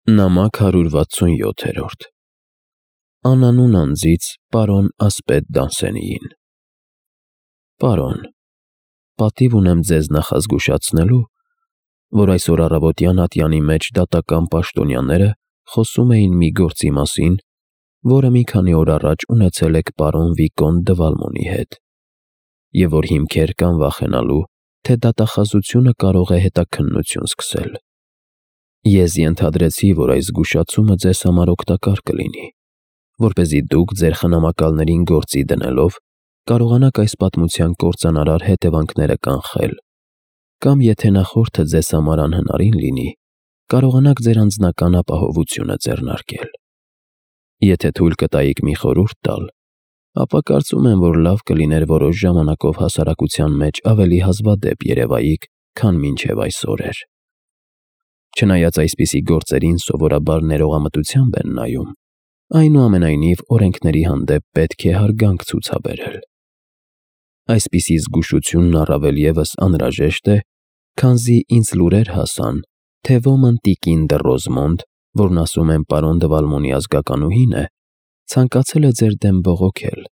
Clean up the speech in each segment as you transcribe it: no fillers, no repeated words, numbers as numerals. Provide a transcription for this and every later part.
Նամակ 167 Անանուն անձից պարոն ասպետ Դանսենիին։ Պարոն, պատիվ ունեմ ձեզ նախազգուշացնելու, որ այսօր առավոտյան ատյանի մեջ դատական պաշտոնյաները խոսում էին մի գործի մասին, որը մի քանի օր առաջ ունեցել եք պարոն Վիկոնտ դը Վալմոնի հետ, և որ հիմքեր կան վախենալու, թե դատախազությունը կարող է հետաքննություն սկսել։ Ես ենթադրեցի, որ այս զգուշացումը ձեզ համար օգտակար կլինի, որպեսզի դուք ձեր խնամակալներին գործի դնելով կարողանաք այս պատմության կործանարար հետևանքները կանխել, կամ եթե նախորդը ձեզ համար անհնարին լինի, կարողանաք ձեր անձնական ապահովությունը ձեռնարկել։ Եթե թույլ կտայիք մի խորհուրդ տալ, ապա կարծում եմ, որ լավ կլիներ որոշ ժամանակով հասարակության մեջ ավելի հազվադեպ երևայիք, քան մինչև այսօր էր։ Չնայած այսպիսի գործերին սովորաբար ներողամտությամբ են նայում, այնուամենայնիվ օրենքների հանդեպ պետք է հարգանք ցուցաբերել։ Այսպիսի զգուշությունն առավել ևս անհրաժեշտ է, քանզի ինձ լուրեր հասան, թե ոմն տիկին դը Ռոզմոնդ, որն ասում են պարոն դը Վալմոնի ազգականուհին է, ցանկացել է ձեր դեմ բողոքել,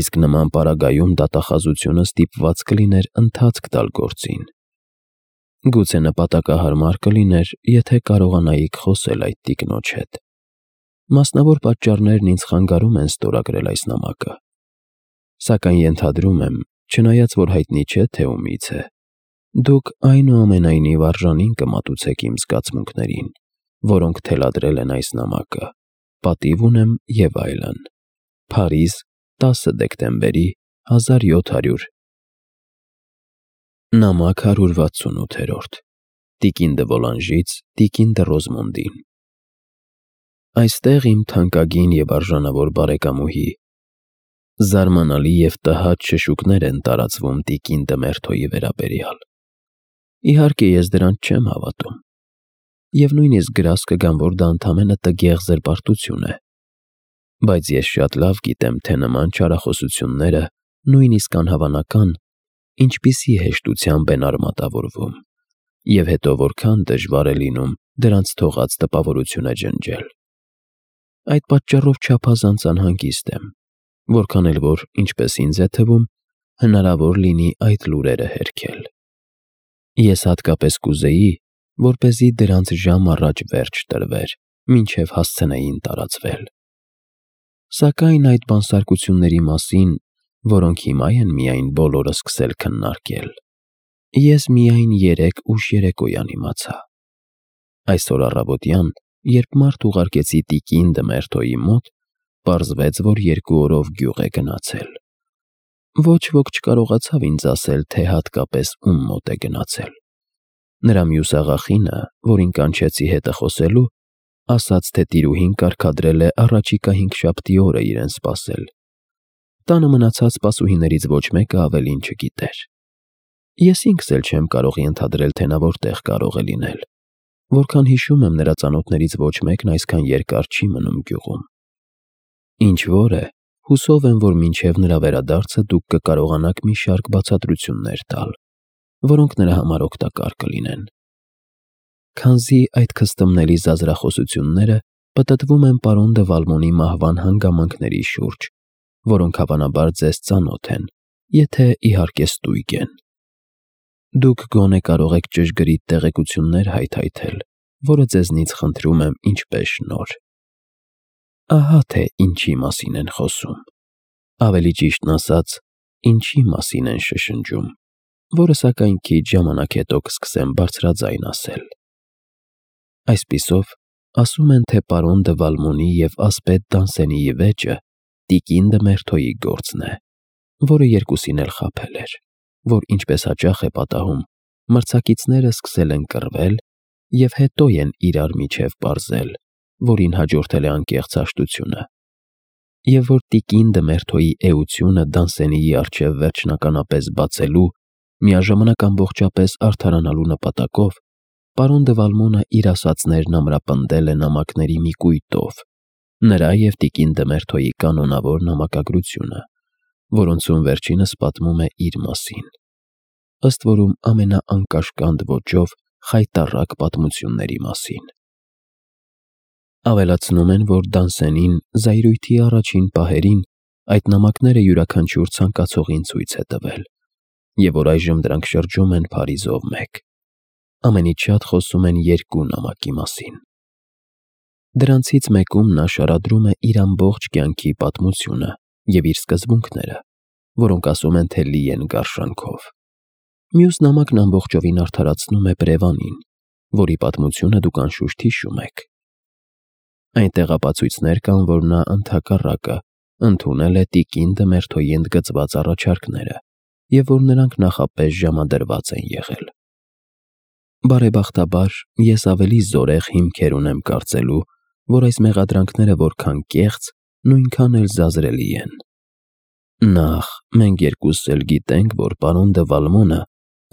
իսկ նման պարագայում դատախազությունը ստիպված կլիներ ընթացք տալ գործին։ Գուցե նպատակահարմար կլիներ, եթե կարողանայիք խոսել այդ տիկնոջ հետ։ Մասնավոր պատճառներն ինձ խանգարում են ստորագրել այս նամակը, սակայն ենթադրում եմ, չնայած որ հայտնի չէ, թե ումից է, դուք այնուամենայնիվ արժանին կմատուցեք իմ զգացմունքներին, որոնք թելադրել են այս նամակը, պատիվ ունեմ և այլն։ Փարիզ, 10 դեկտեմբերի 1700 Նամակ 168 Տիկին դը Վոլանժից տիկին դը Ռոզմոնդին։ Այստեղ իմ թանկագին և արժանավոր բարեկամուհի, զարմանալի և տհաճ շշուկներ են տարածվում տիկին դը Մերթոյի վերաբերյալ։ Իհարկե ես դրանց չեմ հավատում, և նույնիսկ գրազ կգամ, որ դա ընդամենը տգեղ զրպարտություն է, բայց ես շատ լավ գիտեմ, թե նման չարախոսությունները, նույնիսկ անհավանական, ինչպիսի հեշտությամբ են արմատավորվում, և հետո որքան դժվար է լինում դրանց թողած տպավորությունը ջնջել։ Այդ պատճառով չափազանց անհանգիստ եմ, որքան էլ որ, ինչպես ինձ է թվում, հնարավոր լինի այդ լուրերը հերքել։ Ես հատկապես կուզեի, որպեսզի դրանց ժամ առաջ վերջ տրվեր, մինչև հասցնեին տարածվել։ Սակայն այդ բանսարկությունների մասին, որոնք հիմա են միայն բոլորը սկսել քննարկել, ես միայն երեկ ուշ երեկոյան իմացա։ Այսօր առավոտյան, երբ մարդ ուղարկեցի տիկին դը Մերթոյի մոտ, պարզվեց, որ 2 օրով գյուղ է գնացել։ Ոչ ոք չկարողացավ ինձ ասել, թե հատկապես ում մոտ է գնացել։ Նրա մյուս աղախինը, որին կանչեցի հետը խոսելու, ասաց, թե տիրուհին կարգադրել է առաջիկա 5 օրը իրեն սպասել։ Տանը մնացած սպասուհիներից ոչ մեկը ավելին չգիտեր։ Ես ինքս էլ չեմ կարող ենթադրել, թե նա որտեղ կարող է լինել, որքան հիշում եմ, նրա ծանոթներից ոչ մեկն այսքան երկար չի մնում գյուղում։ Ինչ որ է, հուսով եմ, որ մինչև նրա վերադարձը դուք կկարողանաք մի շարք բացատրություններ տալ, որոնք նրա համար օգտակար կլինեն։ Քանզի այդ քստմնելի զազրախոսությունները պտտվում են պարոն դը Վալմոնի մահվան հանգամանքների շուրջ, որոնք հավանաբար ձեզ ծանոթ են, եթե իհարկե ստույգ են։ Դուք գոնե կարող եք ճշգրիտ տեղեկություններ հայթայթել, որը ձեզնից խնդրում եմ ինչպես շնորհ։ Ահա թե ինչի մասին են խոսում, ավելի ճիշտն ասած, ինչի մասին են շշնջում, որը սակայն քիչ ժամանակ հետո կսկսեմ բարձրաձայն ասել։ Այսպիսով, ասում են, թե պարոն դը Վալմոնի և ասպետ Դանսենիի վեճը տիկին դը Մերթոյի գործն է, որը երկուսին էլ խաբել էր, որ ինչպես հաճախ է պատահում, մրցակիցները սկսել են կռվել և հետո են իրար միջև պարզել, որին հաջորդել է անկեղծ հաշտությունը, և որ տիկին դը Մերթոյի էությունը Դանսենիի առջև վերջնականապես բացելու, միաժամանակ ամբողջապես արդարանալու նպատակով, պարոն դը Վալմոնը իր ասածներն ամրապնդել է նամակների մի կույտով, նրա և տիկին դը Մերթոյի կանոնավոր նամակագրությունը, որոնցում վերջինս պատմում է իր մասին, ըստ որում ամենաանկաշկանդ ոճով խայտառակ պատմությունների մասին։ Ավելացնում են, որ Դանսենին զայրույթի առաջին պահերին այդ նամակները յուրաքանչյուր ցանկացողին ցույց է տվել, և որ այժմ դրանք շրջում են Փարիզով մեկ։ Ամենից շատ խոսում են երկու նամակի մասին։ Դրանցից մեկում նա շարադրում է իր ամբողջ կյանքի պատմությունը և իր սկզբունքները, որոնք ասում են, թե լի են գարշանքով։ Մյուս նամակն ամբողջովին արդարացնում է Պրևանին, որի պատմությունը դուք անշուշտ հիշում եք։ Այնտեղ ապացույցներ կան, որ նա ընդհակառակը ընդունել է տիկին Դմերթոյի ընդգծված առաջարկները և որ նրանք նախապես ժամադրված են եղել։ Բարեբախտաբար, ես ավելի զորեղ հիմքեր ունեմ կարծելու, որ այս մեղադրանքները որքան կեղծ, նույնքան էլ զազրելի են։ Նախ, մենք երկուսս էլ գիտենք, որ պարոն դը Վալմոնը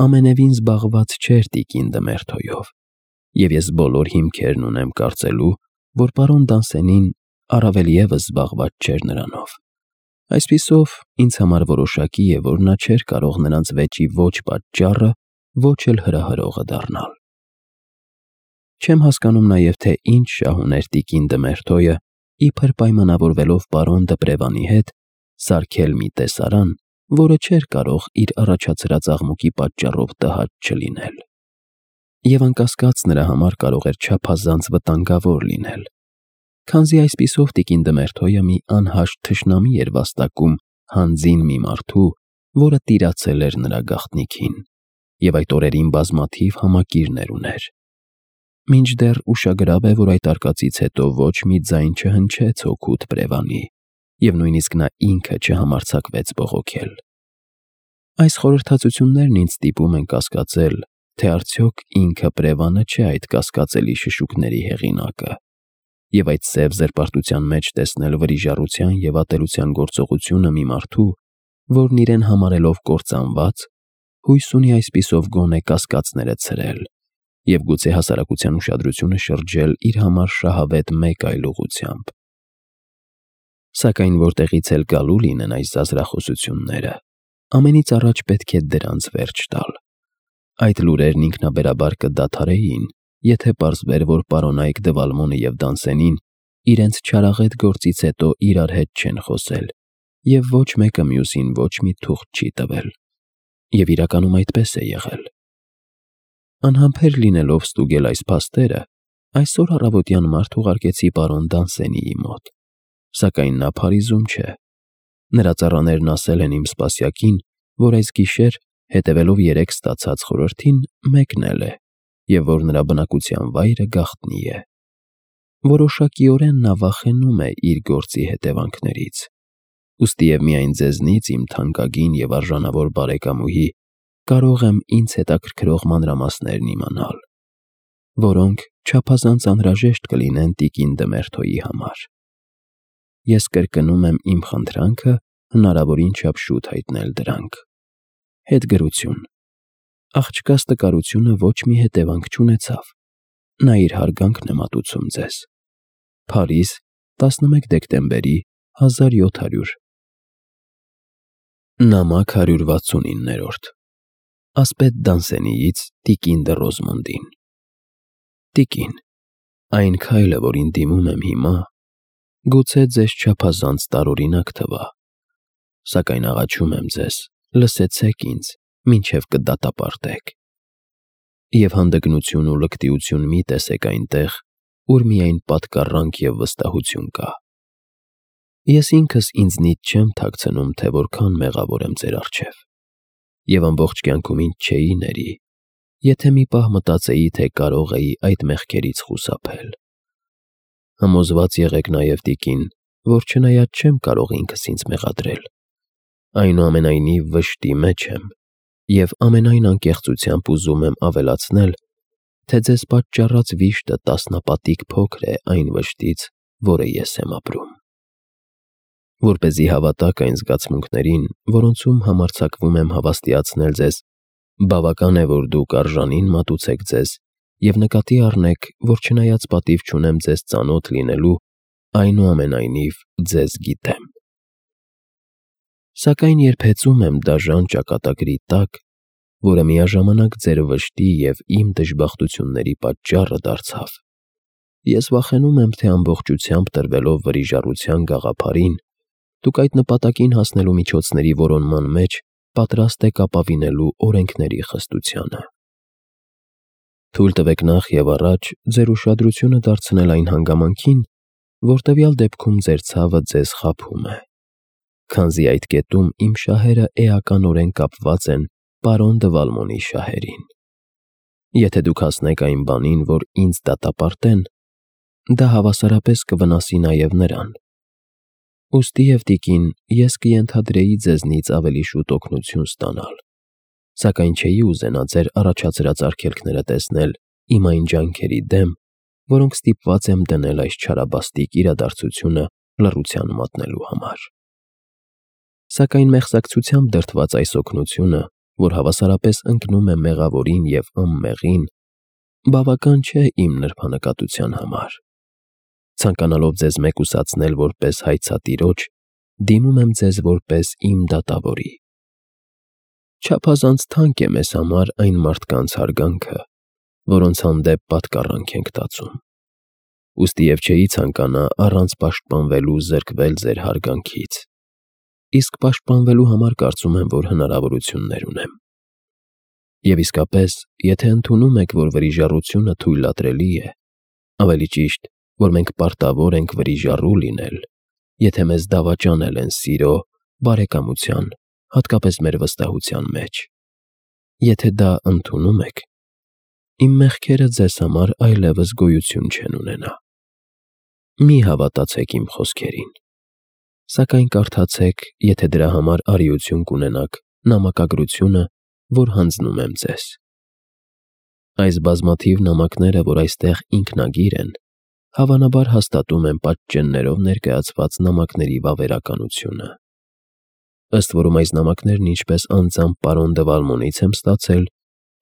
ամենևին զբաղված չէր տիկին Դմերթոյով, և ես բոլոր հիմքերն ունեմ կարծելու, որ պարոն Դանսենին առավել ևս զբաղված չէր նրանով։ Այսպիսով, ինձ համար որոշակի է, որ նա չէր կարող նրանց վեճի ոչ պատճառը, ոչ էլ հրահրողը դառնալ։ Չեմ հասկանում նաև, թե ինչ շահ ուներ տիկին Դմերթոյը, իբր պայմանավորվելով պարոն Դպրևանի հետ, սարքել մի տեսարան, որը չէր կարող իր առաջացրած աղմուկի պատճառով տհաճ չլինել։ Եվ անկասկած նրա համար կարող էր չափազանց վտանգավոր լինել, քանզի այսպիսով տիկին Դմերթոյը մի անհաշտ թշնամի էր վաստակում հանձին մի մարդու, որը տիրացել էր նրա գաղտնիքին, և այդ օրերին բազմաթիվ համակիրներ ուներ։ Մինչդեռ ուշագրավ է, որ այդ արկածից հետո ոչ մի ձայն չհնչեց հօգուտ Պրևանի, և նույնիսկ նա ինքը չհամարձակվեց բողոքել։ Այս խորհրդածություններն ինձ ստիպում են կասկածել, թե արդյոք ինքը Պրևանը չէ այդ կասկածելի շշուկների հեղինակը, և այդ սև զրպարտության մեջ տեսնել վրիժառության և ատելության գործողությունը մի մարդու, որն իրեն համարելով կործանված, հույս ունի այսպիսով գոնե կասկածները ցրել և գուցե հասարակության ուշադրությունը շրջել իր համար շահավետ մեկ այլ ուղղությամբ։ Սակայն որտեղից էլ գալու լինեն այս զազրախոսությունները, ամենից առաջ պետք է դրանց վերջ տալ։ Այդ լուրերն ինքնաբերաբար կդադարեին, եթե պարզվեր, որ պարոն Այկ դը Վալմոնը և Դանսենին իրենց չարաղետ գործից հետո իրար հետ չեն խոսել և ոչ մեկը մյուսին ոչ մի թուղթ չի տվել։ Եվ իրականում այդպես է եղել։ Անհամբեր լինելով ստուգել այս փաստերը, այսօր առավոտյան մարդ ուղարկեցի պարոն Դանսենիի մոտ, սակայն նա Փարիզում չէ։ Նրա ծառաներն ասել են իմ սպասյակին, որ այս գիշեր, հետևելով երեկ ստացած խորհրդին, մեկնել է, և որ նրա բնակության վայրը գաղտնի է։ Որոշակիորեն նա վախենում է իր գործի հետևանքներից։ Ուստի և միայն ձեզնից, իմ թանկագին և արժանավոր բարեկամուհի, կարող եմ ինձ հետաքրքրող մանրամասներն իմանալ, որոնք չափազանց անհրաժեշտ կլինեն տիկին Դմերթոյի համար։ Ես կրկնում եմ իմ խնդրանքը հնարավորին չափ շուտ հայտնել դրանք։ Հետգրություն։ Աղջկաս տկարությունը ոչ մի հետևանք չունեցավ։ Նա իր հարգանքն է մատուցում ձեզ։ Փարիզ, 11 դեկտեմբերի 1700։ Նամակ 169-րդ։ Ասպետ Դանսենիից տիկին դը Ռոզմոնդին։ Տիկին, այն քայլը, որին դիմում եմ հիմա, գուցե ձեզ չափազանց տարօրինակ թվա, սակայն աղաչում եմ ձեզ, լսեցեք ինձ, մինչև կդատապարտեք։ Եվ հանդգնություն ու լկտիություն մի տեսեք այնտեղ, ուր միայն պատկառանք և վստահություն կա։ Ես ինքս ինձնից չեմ թաքցնում, թե որքան մեղավոր եմ ձեր առջև, և ամբողջ կյանքում ինձ չէի ների, եթե մի պահ մտածեի, թե կարող էի այդ մեղքերից խուսափել։ Համոզված եղեք նաև, տիկին, որ չնայած չեմ կարող ինքս ինձ մեղադրել, այնուամենայնիվ վշտի մեջ եմ և ամենայն անկեղծությամբ ուզում եմ ավելացնել, թե ձեզ պատճառած վիշտը տասնապատիկ փոքր է այն վշտից, որը ես եմ ապրում։ Որպեսզի հավատաք այն զգացմունքներին, որոնցում համարձակվում եմ հավաստիացնել ձեզ, բավական է, որ դուք արժանին մատուցեք ձեզ և նկատի առնեք, որ չնայած պատիվ չունեմ ձեզ ծանոթ լինելու, այնուամենայնիվ ձեզ գիտեմ։ Սակայն երբ հեծում եմ դաժան ճակատագրի տակ, որը միաժամանակ ձեր վշտի և իմ դժբախտությունների պատճառը դարձավ, ես վախենում եմ, թե ամբողջությամբ տրվելով վրիժառության գաղափարին, դուք այդ նպատակին հասնելու միջոցների որոնման մեջ պատրաստ եք ապավինելու օրենքների խստությանը։ Թույլ տվեք նախ եւ առաջ ձեր ուշադրությունը դարձնել այն հանգամանքին, որ տվյալ դեպքում ձեր ցավը ձեզ խաբում է, քանզի այդ կետում իմ շահերը էականորեն կապված են պարոն դը Վալմոնի շահերին։ Եթե դուք հասնեք այն բանին, որ ինձ դատապարտեն, դա հավասարապես կվնասի նաև նրան։ Ուստիև, տիկին, ես կենթադրեի ձեզնից ավելի շուտ օգնություն ստանալ, սակայն չէի ուզենա ձեր առաջացրած արգելքները տեսնել իմ այն ջանքերի դեմ, որոնք ստիպված եմ դնել այս չարաբաստիկ իրադարձությունը լռության մատնելու համար։ Սակայն մեղսակցությամբ դրդված այս օգնությունը, որ հավասարապես ընկնում է մեղավորին և ըմմեղին, բավական չէ իմ նրբանկատության համար։ Ցանկանալով ձեզ մեկուսացնել որպես հայցատիրոջ, դիմում եմ ձեզ որպես իմ դատավորի։ Չափազանց թանկ է մեզ համար այն մարդկանց հարգանքը, որոնց հանդեպ պատկառանք ենք տածում։ Ուստիև չէի ցանկանա առանց պաշտպանվելու զրկվել ձեր հարգանքից, իսկ պաշտպանվելու համար կարծում եմ, որ հնարավորություններ ունեմ։ Եվ իսկապես, եթե ընդունում եք, որ վրիժառությունը թույլատրելի է, ավելի ճիշտ, որ մենք պարտավոր ենք վրիժառու լինել, եթե մեզ դավաճանել են սիրո, բարեկամության, հատկապես մեր վստահության մեջ, եթե դա ընդունում եք, իմ մեղքերը ձեզ համար այլևս գոյություն չեն ունենա։ Մի հավատացեք իմ խոսքերին, սակայն կարդացեք, եթե դրա համար արիություն կունենաք, նամակագրությունը, որ հանձնում եմ ձեզ։ Այս բազմաթիվ նամակները, որ այստեղ ինքնագիր են, հավանաբար հաստատում են պատճեններով ներկայացված նամակների վավերականությունը։ Ըստ որում այս նամակներն ինչպես անձամբ պարոն դը Վալմոնից եմ ստացել,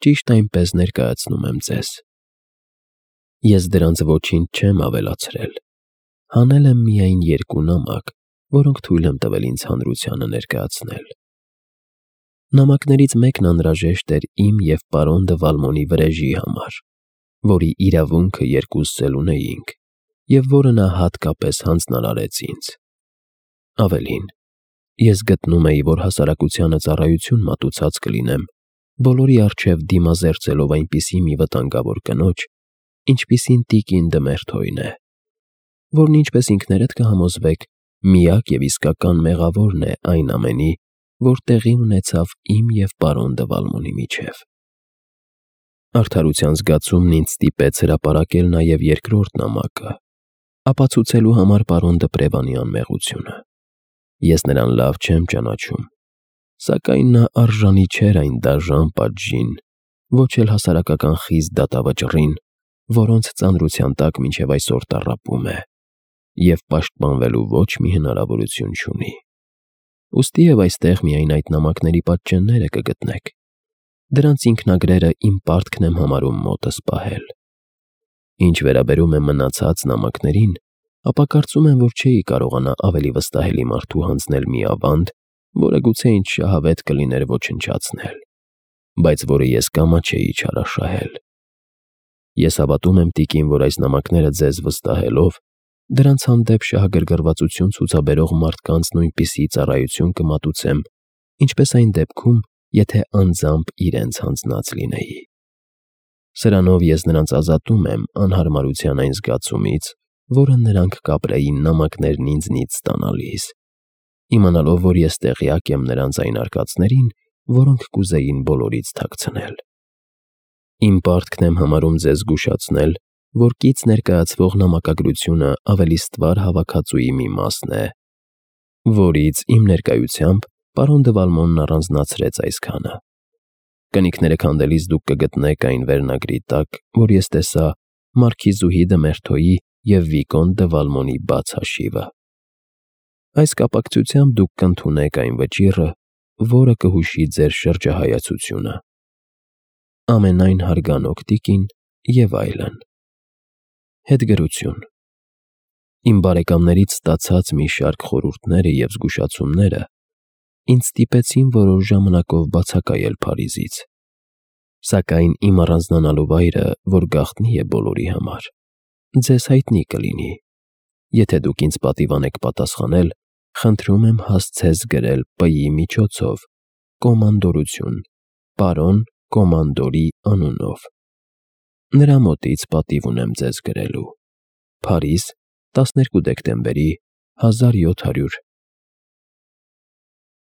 ճիշտ այնպես ներկայացնում եմ ձեզ։ Ես դրանց ոչինչ չեմ ավելացրել, հանել եմ միայն 2 նամակ, որոնք թույլ եմ տվել ինձ հանրությանը ներկայացնել։ Նամակներից մեկն անհրաժեշտ էր իմ և պարոն դը Վալմոնի վրեժի համար, որի իրավունքը երկուսս էլ ունեինք, և որը նա հատկապես հանձնարարեց ինձ։ Ավելին, ես գտնում էի, որ հասարակությանը ծառայություն մատուցած կլինեմ, բոլորի առջև դիմազերծելով այնպիսի մի վտանգավոր կնոջ, ինչպիսին տիկին դը Մերթոյն է, որն ինչպես ինքներդ կհամոզվեք, միակ և իսկական մեղավորն է այն ամենի, որ տեղի ունեցավ իմ և պարոն դը Վալմոնի միջև։ Արդարության զգացումն ինձ ստիպեց հրապարակել նաև 2-րդ նամակը, ապացուցելու համար պարոն դը Պրևանի անմեղությունը։ Ես նրան լավ չեմ ճանաչում, սակայն նա արժանի չէր այն դաժան պատժին, ոչ էլ հասարակական խիստ դատավճռին, որոնց ծանրության տակ մինչև այսօր տառապում է, և պաշտպանվելու ոչ մի հնարավորություն չունի։ Ուստիև այստեղ միայն այդ նամակների պատճենները կգտնեք։ Դրանց ինքնագրերը իմ պարտքն եմ համարում մոտս պահել։ Ինչ վերաբերում է մնացած նամակներին, ապա կարծում եմ, որ չէի կարողանա ավելի վստահելի մարդու հանձնել մի ավանդ, որը գուցե ինձ շահավետ կլիներ ոչնչացնել, բայց որը ես կամաչեի չարաշահել։ Ես հավատում եմ, տիկին, որ այս նամակները ձեզ վստահելով, դրանց հանդեպ շահագրգռվածություն ցուցաբերող մարդկանց նույնպիսի ծառայություն կմատուցեմ, ինչպես այն դեպքում, եթե անձամբ իրենց հանձնած լինեի։ Սրանով ես նրանց ազատում եմ անհարմարության այն զգացումից, որը նրանք կապրեին նամակներն ինձնից ստանալիս, իմանալով, որ ես տեղյակ եմ նրանց այն արկածներին, որոնք կուզեին բոլորից թաքցնել։ Իմ պարտքն եմ համարում ձեզ զգուշացնել, որ կից ներկայացվող նամակագրությունը ավելի ստվար հավաքածուի մի մասն է, որից իմ ներկայությամբ պարոն դը Վալմոնն առանձնացրեց այսքանը։ Կնիկները քանդելիս դուք կգտնեք այն վերնագրի տակ, որ ես տեսա Մարքիզուհի դը Մերթոյի և Վիկոնտ դը Վալմոնի բաց հաշիվը։ Այս կապակցությամբ դուք կընդունեք այն վճիռը, որը կհուշի ձեր շրջահայացությունը։ Ամենայն հարգանոք տիկին և այլն։ Հետգրություն։ Իմ բարեկամներից ստացած մի շարք խորհուրդները և զգուշացումները ինձ ստիպեցին որոշ ժամանակով բացակայել Փարիզից, սակայն իմ առանձնանալու վայրը, որ գաղտնի է բոլորի համար, ձեզ հայտնի կլինի։ Եթե դուք ինձ պատիվանեք պատասխանել, խնդրում եմ հասցես գրել П-ի միջոցով կոմանդորություն, պարոն կոմանդորի անունով։ Նրա մոտից պատիվ ունեմ ձեզ գրելու։ Փարիզ, 12 դեկտեմբերի 1700